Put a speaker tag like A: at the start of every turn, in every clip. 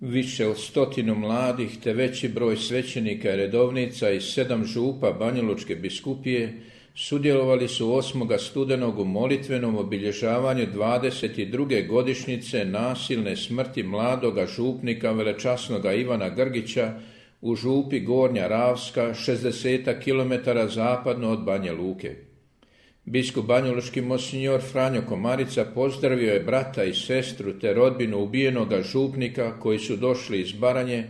A: Više od 100 mladih te veći broj svećenika i redovnica i 7 župa Banjalučke biskupije sudjelovali su 8. studenog u molitvenom obilježavanju 22. godišnjice nasilne smrti mladoga župnika velečasnoga Ivana Grgića u župi Gornja Ravska, 60 km zapadno od Banja Luke. Biskup banjalučki monsinjor Franjo Komarica pozdravio je brata i sestru te rodbinu ubijenoga župnika koji su došli iz Baranje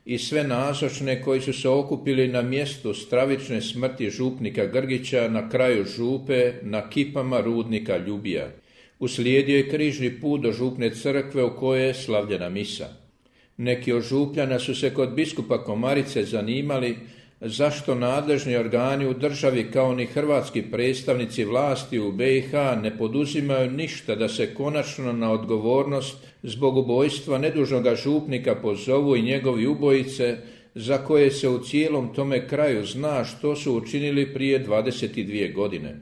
A: i sve nazočne koji su se okupili na mjestu stravične smrti župnika Grgića na kraju župe na kipama rudnika Ljubija. Uslijedio je križni put do župne crkve u kojoj je slavljena misa. Neki od župljana su se kod biskupa Komarice zanimali zašto nadležni organi u državi kao ni hrvatski predstavnici vlasti u BiH ne poduzimaju ništa da se konačno na odgovornost zbog ubojstva nedužnoga župnika pozovu i njegovi ubojice za koje se u cijelom tome kraju zna što su učinili prije 22 godine.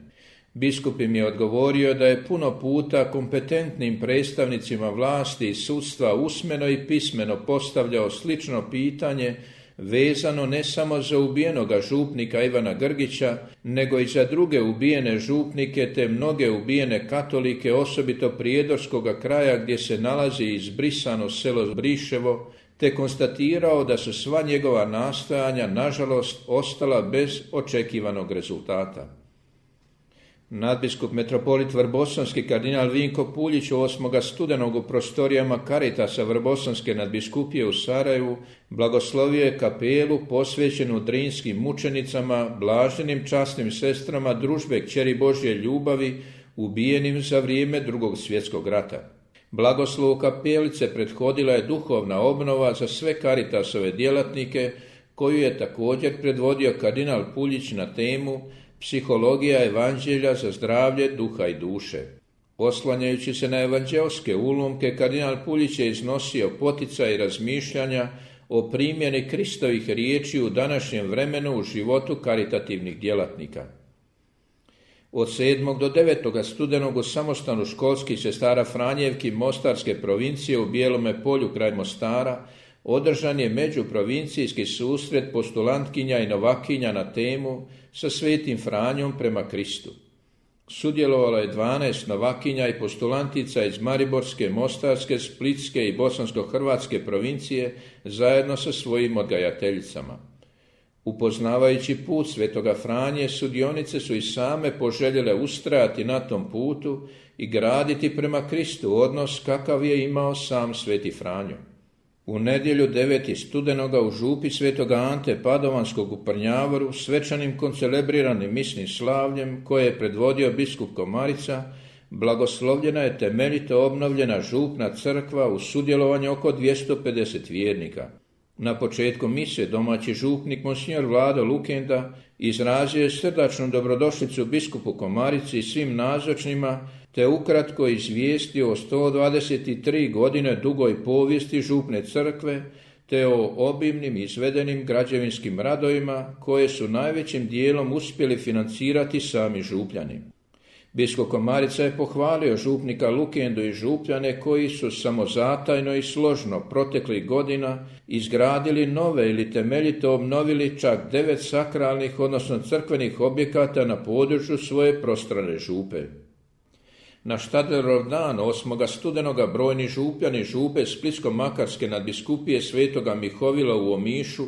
A: Biskup im je odgovorio da je puno puta kompetentnim predstavnicima vlasti i sudstva usmeno i pismeno postavljao slično pitanje vezano ne samo za ubijenoga župnika Ivana Grgića, nego i za druge ubijene župnike te mnoge ubijene katolike, osobito prijedorskoga kraja gdje se nalazi izbrisano selo Briševo, te konstatirao da su sva njegova nastojanja, nažalost, ostala bez očekivanog rezultata. Nadbiskup metropolit Vrbosanski kardinal Vinko Puljić 8. studenog u prostorijama Caritasa Vrbosanske nadbiskupije u Sarajevu blagoslovio je kapelu posvećenu drinskim mučenicama, blaženim časnim sestrama družbe Kćeri Božje ljubavi, ubijenim za vrijeme II. Svjetskog rata. Blagoslovu kapelice prethodila je duhovna obnova za sve Caritasove djelatnike, koju je također predvodio kardinal Puljić na temu Psihologija evanđelja za zdravlje duha i duše. Oslanjajući se na evanđelske ulomke, kardinal Puljić je iznosio poticaj i razmišljanja o primjeni Kristovih riječi u današnjem vremenu u životu karitativnih djelatnika. Od 7. do 9. studenog u samostanu školskih sestara Franjevki Mostarske provincije u Bijelome Polju kraj Mostara održan je međuprovincijski susret postulantkinja i novakinja na temu Sa svetim Franjom prema Kristu. Sudjelovalo je 12 novakinja i postulantica iz Mariborske, Mostarske, Splitske i Bosansko-hrvatske provincije zajedno sa svojim odgajateljicama. Upoznavajući put svetoga Franje, sudionice su i same poželjele ustrajati na tom putu i graditi prema Kristu odnos kakav je imao sam sveti Franjo. U nedjelju 9. studenoga u župi svetoga Ante Padovanskog u Prnjavoru svečanim koncelebriranim misnim slavljem koje je predvodio biskup Komarica, blagoslovljena je temeljito obnovljena župna crkva u sudjelovanju oko 250 vjernika. Na početku mise domaći župnik monsinjor Vlado Lukenda izrazio je srdačnu dobrodošlicu biskupu Komarici i svim nazočnima, te ukratko izvijestio o 123 godine dugoj povijesti župne crkve, te o obimnim izvedenim građevinskim radovima koje su najvećim dijelom uspjeli financirati sami župljani. Biskup Komarica je pohvalio župnika Lukendu i župljane koji su samozatajno i složno proteklih godina izgradili nove ili temeljito obnovili čak 9 sakralnih, odnosno crkvenih objekata na području svoje prostrane župe. Na Štadlerov dan 8. studenoga brojni župljani župe Splitsko-makarske nadbiskupije svetoga Mihovila u Omišu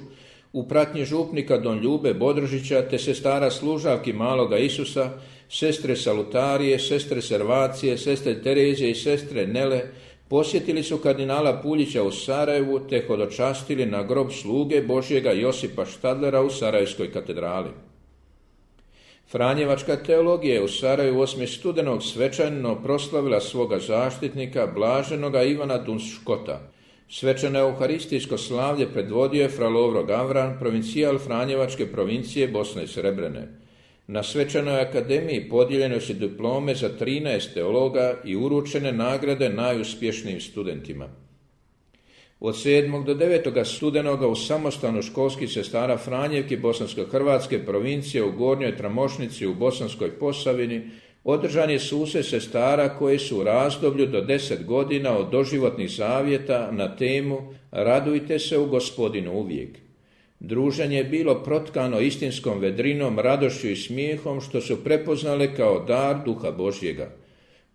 A: u pratnji župnika Don Ljube Bodržića te sestara služavki Maloga Isusa, sestre Salutarije, sestre Servacije, sestre Terezije i sestre Nele posjetili su kardinala Puljića u Sarajevu te hodočastili na grob sluge Božjega Josipa Štadlera u Sarajevskoj katedrali. Franjevačka teologija je u Sarajevu 8. studenog svečano proslavila svoga zaštitnika, blaženoga Ivana Dunškota. Svečano euharistijsko slavlje predvodio je fra Lovro Gavran, provincijal Franjevačke provincije Bosne i Srebrene. Na svečanoj akademiji podijeljene su diplome za 13 teologa i uručene nagrade najuspješnijim studentima. Od 7. do 9. studenoga u samostanu školskih sestara Franjevki Bosansko-hrvatske provincije u Gornjoj Tramošnici u Bosanskoj Posavini održan je susret sestara koje su u razdoblju do 10 godina od doživotnih zavjeta na temu Radujte se u Gospodinu uvijek. Druženje je bilo protkano istinskom vedrinom, radošću i smijehom što su prepoznale kao dar Duha Božjega.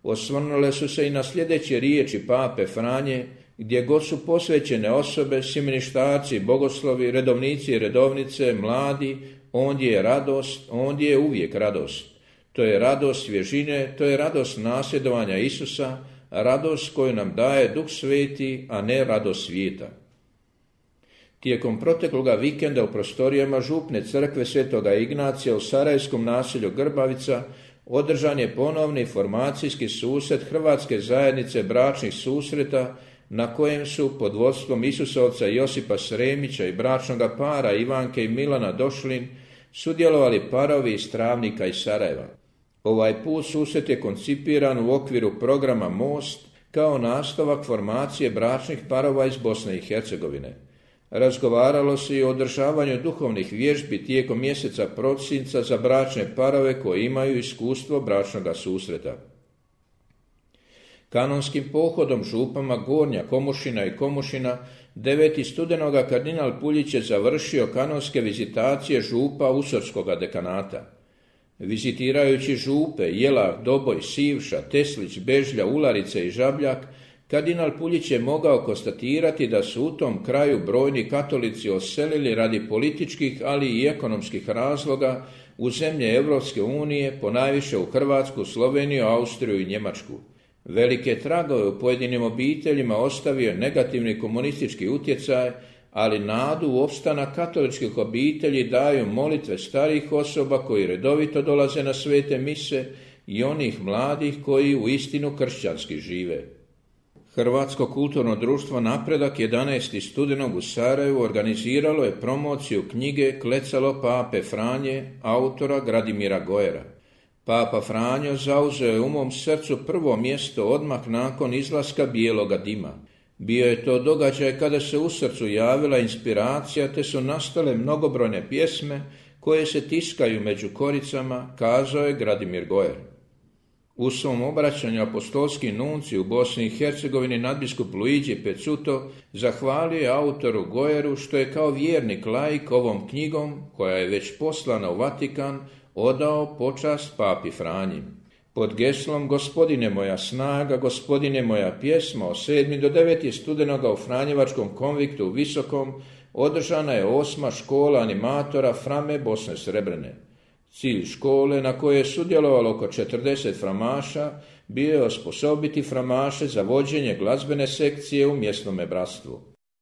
A: Osvrnule su se i na sljedeće riječi pape Franje, gdje god su posvećene osobe, simeništarci, bogoslovi, redovnici i redovnice, mladi, ondje je radost, ondje je uvijek radost. To je radost svježine, to je radost nasljedovanja Isusa, radost koju nam daje Duh Sveti, a ne radost svijeta. Tijekom protekloga vikenda u prostorijama župne crkve Svetoga Ignacija u sarajevskom naselju Grbavica održan je ponovni formacijski susret Hrvatske zajednice bračnih susreta na kojem su pod vodstvom Isusovca Josipa Sremića i bračnoga para Ivanke i Milana Došlin sudjelovali parovi iz Travnika i Sarajeva. Ovaj put susret je koncipiran u okviru programa Most kao nastavak formacije bračnih parova iz Bosne i Hercegovine. Razgovaralo se i o održavanju duhovnih vježbi tijekom mjeseca prosinca za bračne parove koji imaju iskustvo bračnoga susreta. Kanonskim pohodom župama Gornja Komušina i Komušina 9. studenoga kardinal Puljić je završio kanonske vizitacije župa Usorskoga dekanata. Vizitirajući župe Jelah, Doboj, Sivša, Teslić, Bežlja, Ularice i Žabljak, kardinal Puljić je mogao konstatirati da su u tom kraju brojni katolici odselili radi političkih, ali i ekonomskih razloga u zemlje Europske unije, ponajviše u Hrvatsku, Sloveniju, Austriju i Njemačku. Velike tragove u pojedinim obiteljima ostavio je negativni komunistički utjecaj, ali nadu u opstanak katoličkih obitelji daju molitve starijih osoba koji redovito dolaze na svete mise i onih mladih koji u istinu kršćanski žive. Hrvatsko kulturno društvo Napredak 11. studenog u Sarajevu organiziralo je promociju knjige Klecalo pape Franje, autora Gradimira Gojera. Papa Franjo zauzeo je u mom srcu prvo mjesto odmah nakon izlaska bijeloga dima. Bio je to događaj kada se u srcu javila inspiracija te su nastale mnogobrojne pjesme koje se tiskaju među koricama, kazao je Gradimir Gojer. U svom obraćanju apostolski nuncij u Bosni i Hercegovini nadbiskup Luigi Pezzuto zahvalio je autoru Gojeru što je kao vjernik laik ovom knjigom, koja je već poslana u Vatikan, odao počast papi Franji. Pod geslom Gospodine moja snaga, Gospodine moja pjesma od 7. do 9. studenoga u Franjevačkom konviktu u Visokom održana je 8. škola animatora Frame Bosne Srebrene. Cilj škole, na kojoj je sudjelovalo oko 40 framaša, bio je osposobiti framaše za vođenje glazbene sekcije u mjesnome bratstvu.